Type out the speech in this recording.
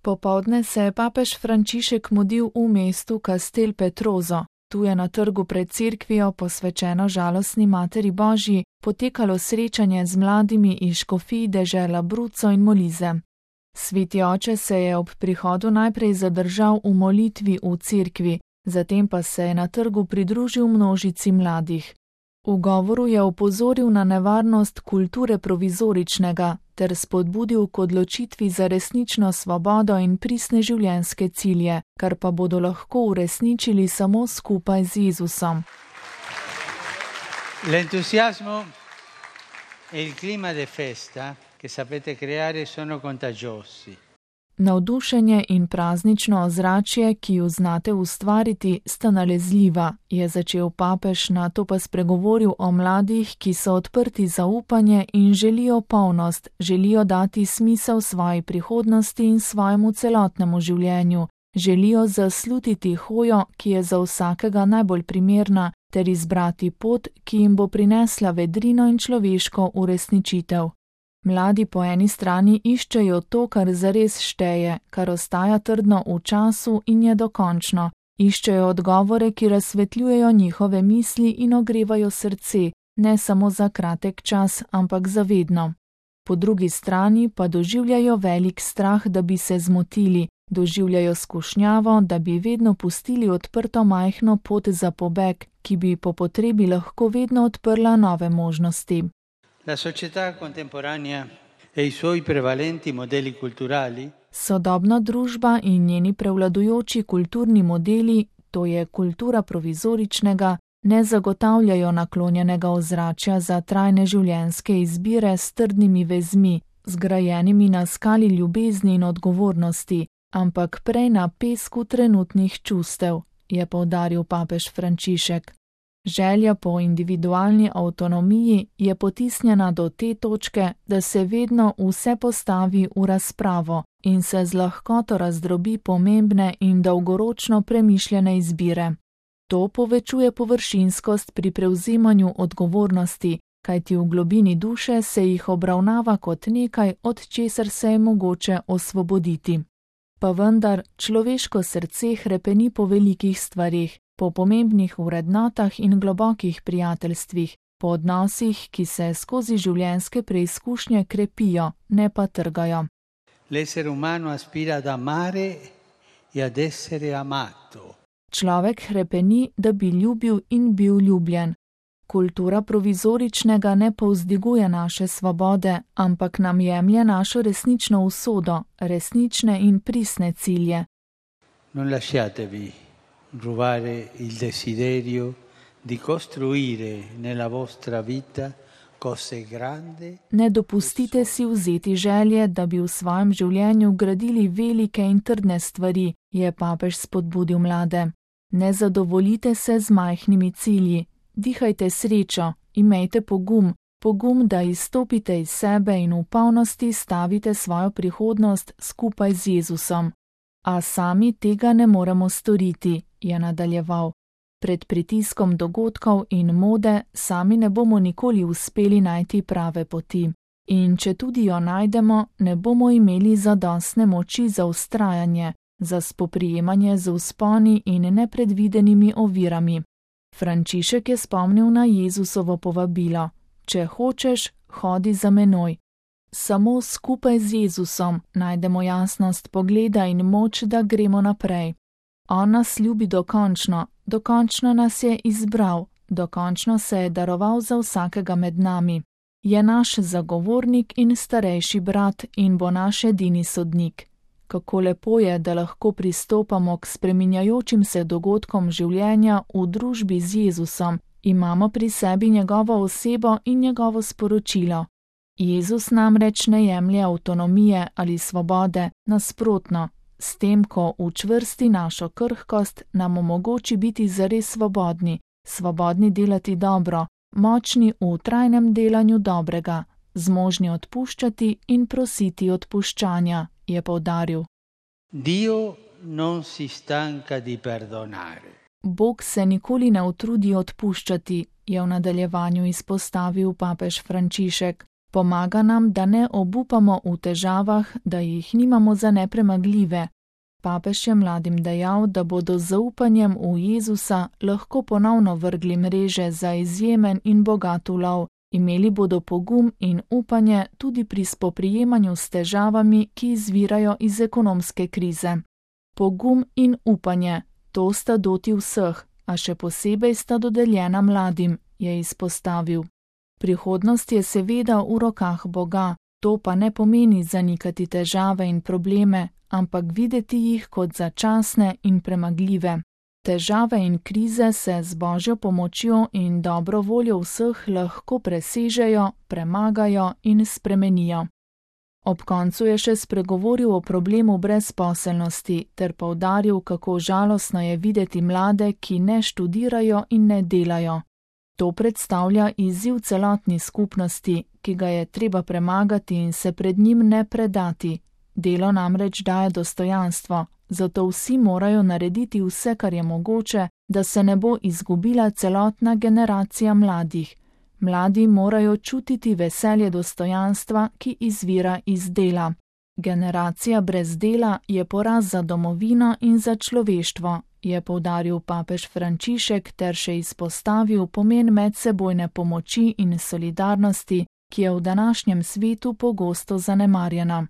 Popoldne se je papež Frančišek mudil v mestu Castel Petrozo. Tu je na trgu pred cerkvijo, posvečeno žalostni Materi Božji, potekalo srečanje z mladimi iz škofij dežel Abruzzo in Molise. Sveti oče se je ob prihodu najprej zadržal v molitvi v cerkvi, zatem pa se je na trgu pridružil množici mladih. V govoru je opozoril na nevarnost kulture provizoričnega ter spodbudil k odločitvi za resnično svobodo in pristne življenjske cilje, kar pa bodo lahko uresničili samo skupaj z Jezusom. L'entusiasmo e il clima di festa che sapete creare sono contagiosi. Navdušenje in praznično ozračje, ki ju znate ustvariti, sta nalezljiva, je začel papež, nato pa spregovoril o mladih, ki so odprti za upanje in želijo polnost, želijo dati smisel svoji prihodnosti in svojemu celotnemu življenju, želijo zaslutiti hojo, ki je za vsakega najbolj primerna, ter izbrati pot, ki jim bo prinesla vedrino in človeško uresničitev. Mladi po eni strani iščejo to, kar zares šteje, kar ostaja trdno v času in je dokončno. Iščejo odgovore, ki razsvetljujejo njihove misli in ogrevajo srce, ne samo za kratek čas, ampak za vedno. Po drugi strani pa doživljajo velik strah, da bi se zmotili, doživljajo skušnjavo, da bi vedno pustili odprto majhno pot za pobeg, ki bi po potrebi lahko vedno odprla nove možnosti. La società contemporanea e i suoi prevalenti modelli culturali. Sodobna družba in njeni prevladujoči kulturni modeli, to je kultura provizoričnega, ne zagotavljajo naklonjenega ozračja za trajne življenjske izbire s trdnimi vezmi, zgrajenimi na skali ljubezni in odgovornosti, ampak prej na pesku trenutnih čustev, je poudaril papež Frančišek. Želja po individualni avtonomiji je potisnjena do te točke, da se vedno vse postavi v razpravo in se z lahkoto razdrobi pomembne in dolgoročno premišljene izbire. To povečuje površinskost pri prevzemanju odgovornosti, kajti v globini duše se jih obravnava kot nekaj, od česar se je mogoče osvoboditi. Pa vendar človeško srce hrepeni po velikih stvareh, po pomembnih vrednotah in globokih prijateljstvih, po odnosih, ki se skozi življenjske preizkušnje krepijo, ne pa trgajo. L'essere umano aspira ad amare e ad essere amato. Človek hrepeni, da bi ljubil in bil ljubljen. Kultura provizoričnega ne povzdiguje naše svobode, ampak nam jemlje našo resnično usodo, resnične in pristne cilje. Non lasciatevi rubare il desiderio di costruire nella vostra vita cose grandi. Ne dopustite si vzeti želje, da bi v svojem življenju gradili velike in trdne stvari, je papež spodbudil mlade. Ne zadovoljite se z majhnimi cilji, dihajte srečo, imejte pogum, da izstopite iz sebe in v polnosti stavite svojo prihodnost skupaj z Jezusom. A sami tega ne moremo storiti, je nadaljeval. Pred pritiskom dogodkov in mode sami ne bomo nikoli uspeli najti prave poti. In če tudi jo najdemo, ne bomo imeli zadostne moči za vztrajanje, za spoprijemanje z vzponi in nepredvidenimi ovirami. Frančišek je spomnil na Jezusovo povabilo: če hočeš, hodi za menoj. Samo skupaj z Jezusom najdemo jasnost pogleda in moč, da gremo naprej. On nas ljubi dokončno nas je izbral, dokončno se je daroval za vsakega med nami. Je naš zagovornik in starejši brat in bo naš edini sodnik. Kako lepo je, da lahko pristopamo k spreminjajočim se dogodkom življenja v družbi z Jezusom, imamo pri sebi njegovo osebo in njegovo sporočilo. Jezus namreč ne jemlje avtonomije ali svobode, nasprotno, s tem, ko učvrsti našo krhkost, nam omogoči biti zares svobodni delati dobro, močni v trajnem delanju dobrega, zmožni odpuščati in prositi odpuščanja, je poudaril. Dio non si stanca di perdonare. Bog se nikoli ne utrudi odpuščati, je v nadaljevanju izpostavil papež Frančišek. Pomaga nam, da ne obupamo v težavah, da jih nimamo za nepremagljive. Papež je mladim dejal, da bodo z zaupanjem v Jezusa lahko ponovno vrgli mreže za izjemen in bogat ulov. Imeli bodo pogum in upanje tudi pri spoprijemanju s težavami, ki izvirajo iz ekonomske krize. Pogum in upanje, to sta doti vseh, a še posebej sta dodeljena mladim, je izpostavil. Prihodnost je seveda v rokah Boga, to pa ne pomeni zanikati težave in probleme, ampak videti jih kot začasne in premagljive. Težave in krize se z Božjo pomočjo in dobro voljo vseh lahko presežejo, premagajo in spremenijo. Ob koncu je še spregovoril o problemu brezposelnosti ter poudaril, kako žalostno je videti mlade, ki ne študirajo in ne delajo. To predstavlja izziv celotni skupnosti, ki ga je treba premagati in se pred njim ne predati. Delo namreč daje dostojanstvo, zato vsi morajo narediti vse, kar je mogoče, da se ne bo izgubila celotna generacija mladih. Mladi morajo čutiti veselje dostojanstva, ki izvira iz dela. Generacija brez dela je poraz za domovino in za človeštvo, je poudaril papež Frančišek ter še izpostavil pomen medsebojne pomoči in solidarnosti, ki je v današnjem svetu pogosto zanemarjena.